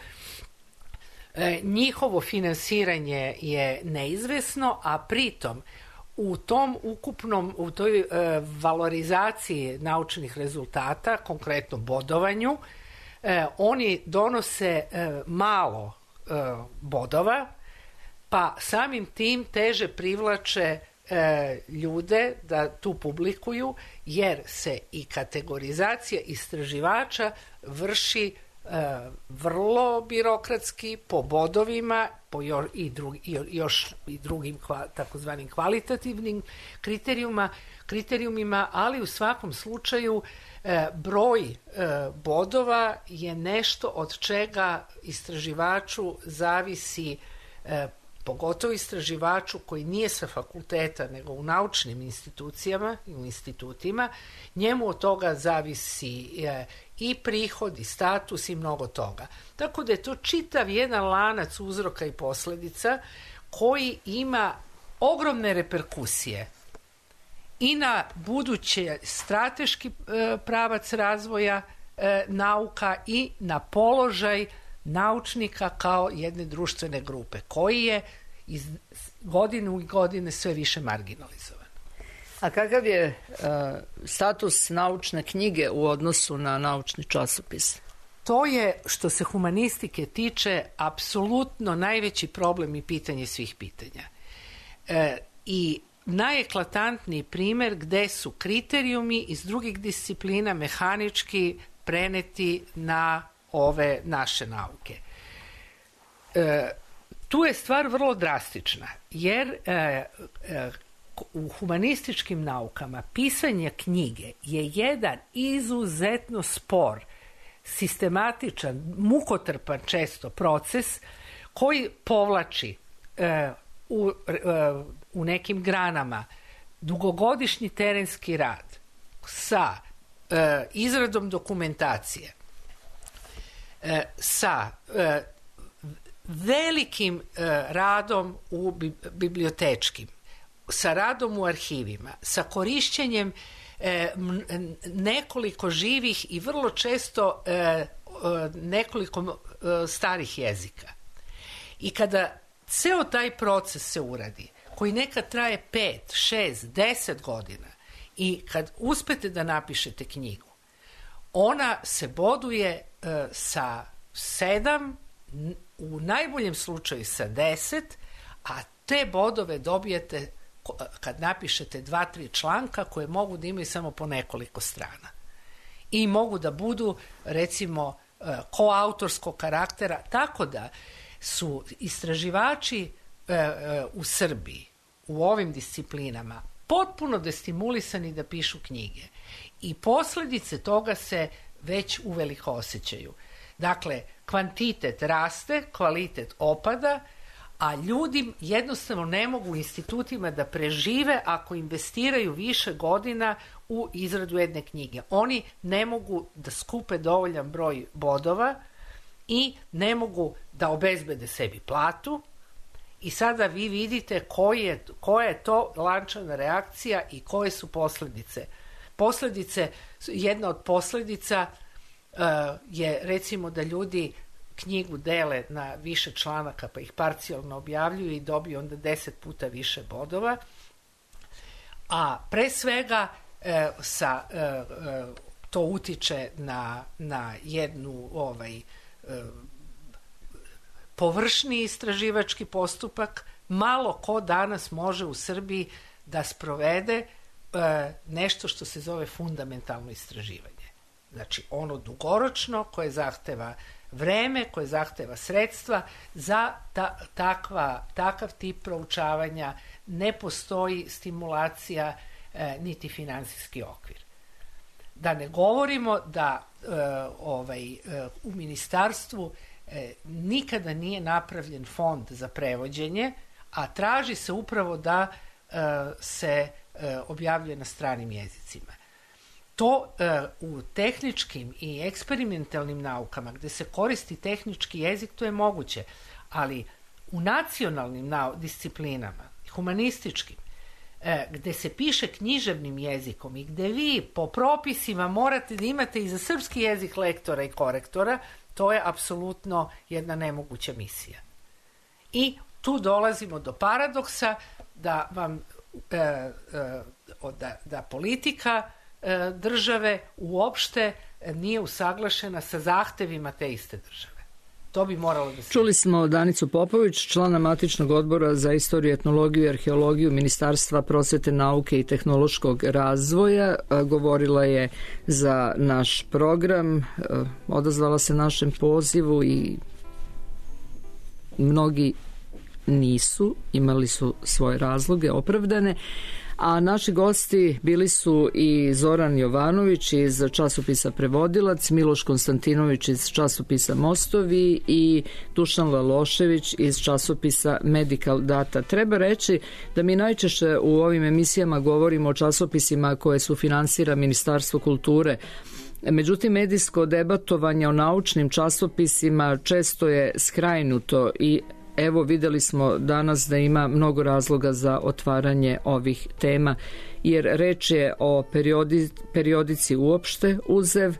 S7: Njihovo finansiranje je neizvesno, a pritom u tom ukupnom, u toj e, valorizaciji naučnih rezultata, konkretno bodovanju, e, oni donose e, malo e, bodova, pa samim tim teže privlače e, ljude da tu publikuju, jer se i kategorizacija istraživača vrši e, vrlo birokratski, po bodovima, po jo, i, drugi, i još i drugim kva, takozvanim kvalitativnim kriterijuma, kriterijumima, ali u svakom slučaju e, broj e, bodova je nešto od čega istraživaču zavisi e, pogotovo istraživaču koji nije sa fakulteta nego u naučnim institucijama i u institutima, njemu od toga zavisi i prihod i status i mnogo toga. Tako da je to čitav jedan lanac uzroka i posledica koji ima ogromne reperkusije i na buduće strateški pravac razvoja nauka i na položaj naučnika kao jedne društvene grupe koji je iz godine u godine sve više marginalizovan.
S4: A kakav je uh, status naučne knjige u odnosu na naučni časopis?
S7: To je, što se humanistike tiče, apsolutno najveći problem i pitanje svih pitanja. E, I najeklatantniji primjer gde su kriterijumi iz drugih disciplina mehanički preneti na ove naše nauke. E, tu je stvar vrlo drastična, jer e, e, u humanističkim naukama pisanje knjige je jedan izuzetno spor, sistematičan, mukotrpan često proces koji povlači e, u, e, u nekim granama dugogodišnji terenski rad sa e, izradom dokumentacije, e, sa e, velikim e, radom u bi, bibliotečkim, sa radom u arhivima, sa korišćenjem e, nekoliko živih i vrlo često e, e, nekoliko e, starih jezika. I kada ceo taj proces se uradi, koji nekad traje pet, šest, deset godina, i kad uspete da napišete knjigu, ona se boduje e, sa sedam, u najboljem slučaju sa deset, a te bodove dobijete kad napišete dva, tri članka koje mogu da imaju samo po nekoliko strana. I mogu da budu, recimo, koautorskog karaktera, tako da su istraživači u Srbiji u ovim disciplinama potpuno destimulisani da pišu knjige. I posledice toga se već uveliko osjećaju. Dakle, kvantitet raste, kvalitet opada, a ljudi jednostavno ne mogu u institutima da prežive ako investiraju više godina u izradu jedne knjige. Oni ne mogu da skupe dovoljan broj bodova i ne mogu da obezbede sebi platu. I sada vi vidite koji je, koja je to lančana reakcija i koje su posledice. Posledice, jedna od posledica uh, je recimo da ljudi knjigu dele na više članaka pa ih parcijalno objavljuju i dobiju onda deset puta više bodova. A pre svega e, sa, e, e, to utiče na, na jednu ovaj, e, površni istraživački postupak. Malo ko danas može u Srbiji da sprovede e, nešto što se zove fundamentalno istraživanje. Znači ono dugoročno koje zahteva vreme, koje zahteva sredstva, za ta, takva, takav tip proučavanja ne postoji stimulacija e, niti finansijski okvir. Da ne govorimo da e, ovaj, e, u ministarstvu e, nikada nije napravljen fond za prevođenje, a traži se upravo da e, se e, objavljuje na stranim jezicima. To e, u tehničkim i eksperimentalnim naukama gde se koristi tehnički jezik, to je moguće, ali u nacionalnim nau- disciplinama, humanističkim, e, gde se piše književnim jezikom i gde vi po propisima morate da imate i za srpski jezik lektora i korektora, to je apsolutno jedna nemoguća misija. I tu dolazimo do paradoksa da vam e, e, da, da politika države uopšte nije usaglašena sa zahtevima te iste države. To bi moralo da se...
S4: Čuli smo Danicu Popović, člana matičnog odbora za istoriju, etnologiju i arheologiju Ministarstva prosvete, nauke i tehnološkog razvoja. Govorila je za naš program, odazvala se našem pozivu i mnogi nisu, imali su svoje razloge opravdane, A naši gosti bili su i Zoran Jovanović iz časopisa Prevodilac, Miloš Konstantinović iz časopisa Mostovi i Dušan Lalošević iz časopisa Medical Data. Treba reći da mi najčešće u ovim emisijama govorimo o časopisima koje su finansira Ministarstvo kulture. Međutim, medijsko debatovanje o naučnim časopisima često je skrajnuto i evo videli smo danas da ima mnogo razloga za otvaranje ovih tema, jer reč je o periodi, periodici uopšte Uzev.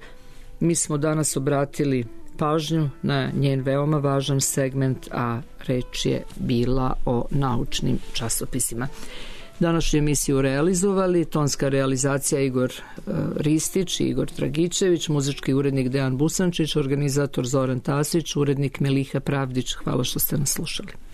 S4: Mi smo danas obratili pažnju na njen veoma važan segment, a reč je bila o naučnim časopisima. Današnju emisiju realizovali tonska realizacija Igor uh, Ristić i Igor Dragičević, muzički urednik Dejan Busančić, organizator Zoran Tasić, urednik Meliha Pravdić. Hvala što ste nas slušali.